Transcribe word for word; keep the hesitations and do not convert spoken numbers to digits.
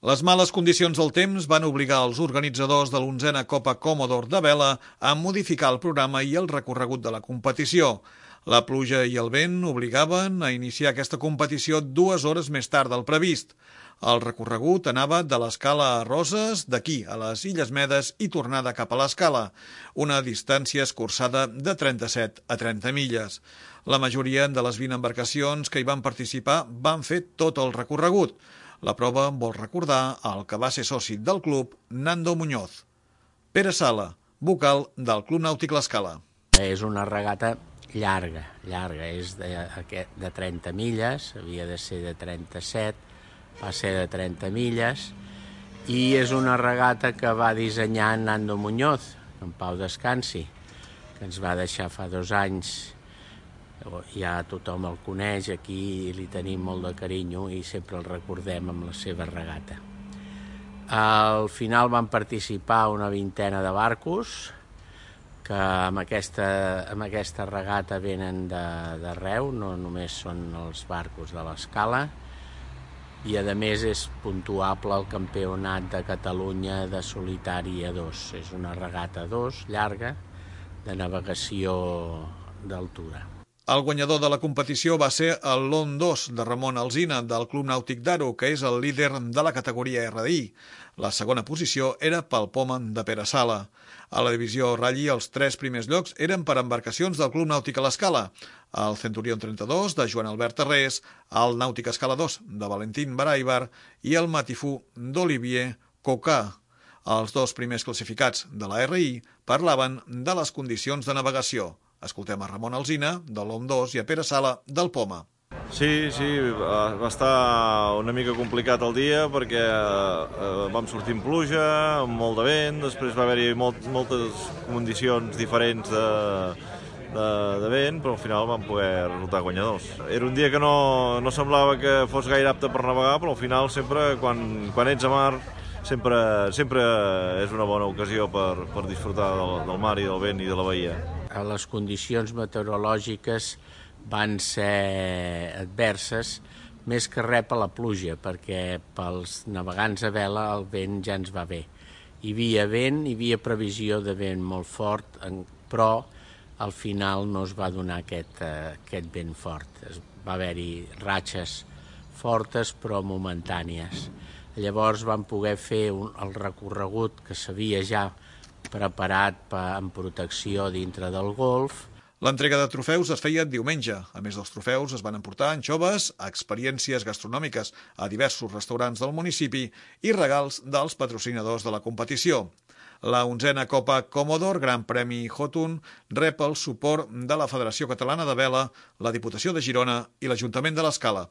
Les males condicions del temps van obligar els organitzadors de l'onzena Copa Commodore de vela a modificar el programa i el recorregut de la competició. La pluja i el vent obligaven a iniciar aquesta competició dues hores més tard del previst. El recorregut anava de l'Escala a Roses, d'aquí a les Illes Medes i tornada cap a l'Escala, una distància escurçada de trenta-set a trenta milles. La majoria de les vint embarcacions que hi van participar van fer tot el recorregut. La prova vol recordar el que va ser soci del club, Nando Muñoz. Pere Sala, vocal del Club Nàutic L'Escala. És una regata llarga, llarga, és de, de trenta milles, havia de ser de trenta-set, va ser de trenta milles, i és una regata que va dissenyar Nando Muñoz, en pau descansi, que ens va deixar fa dos anys. Ja tothom el coneix, aquí li tenim molt de carinyo i sempre el recordem amb la seva regata. Al final van participar una vintena de barcos que amb aquesta, amb aquesta regata venen d'arreu, no només són els barcos de l'Escala, i a més és puntuable el Campionat de Catalunya de solitari a dos. És una regata a dos, llarga, de navegació d'altura. El guanyador de la competició va ser el Lon dos de Ramon Alsina del Club Nàutic d'Aro, que és el líder de la categoria R D I. La segona posició era pel Poma de Pere Sala. A la divisió Rally els tres primers llocs eren per embarcacions del Club Nàutic a l'Escala. El Centurion trenta-dos de Joan Albert Tarrés, el Nàutic Escala dos de Valentín Baraibar i el Matifú d'Olivier Cocà. Els dos primers classificats de la R I parlaven de les condicions de navegació. Escoltem a Ramon Alsina, de l'O M dos, i a Pere Sala, del Poma. Sí, sí, va estar una mica complicat el dia perquè eh, vam sortir amb pluja, amb molt de vent, després va haver-hi molt, moltes condicions diferents de, de, de vent, però al final vam poder resultar guanyadors. Era un dia que no, no semblava que fos gaire apte per navegar, però al final sempre, quan, quan ets a mar, sempre, sempre és una bona ocasió per, per disfrutar del, del mar i del vent i de la bahia. Les condicions meteorològiques van ser adverses, més que res per la pluja, perquè pels navegants a vela el vent ja ens va bé. Hi havia vent, hi havia previsió de vent molt fort, però al final no es va donar aquest, aquest vent fort. Va haver-hi ratxes fortes però momentànies. Llavors vam poder fer un, el recorregut que s'havia ja preparat en protecció dintre del golf. L'entrega de trofeus es feia diumenge. A més dels trofeus es van emportar anxoves, experiències gastronòmiques a diversos restaurants del municipi i regals dels patrocinadors de la competició. La onzena Copa Commodore Gran Premi Jotun rep el suport de la Federació Catalana de Vela, la Diputació de Girona i l'Ajuntament de l'Escala.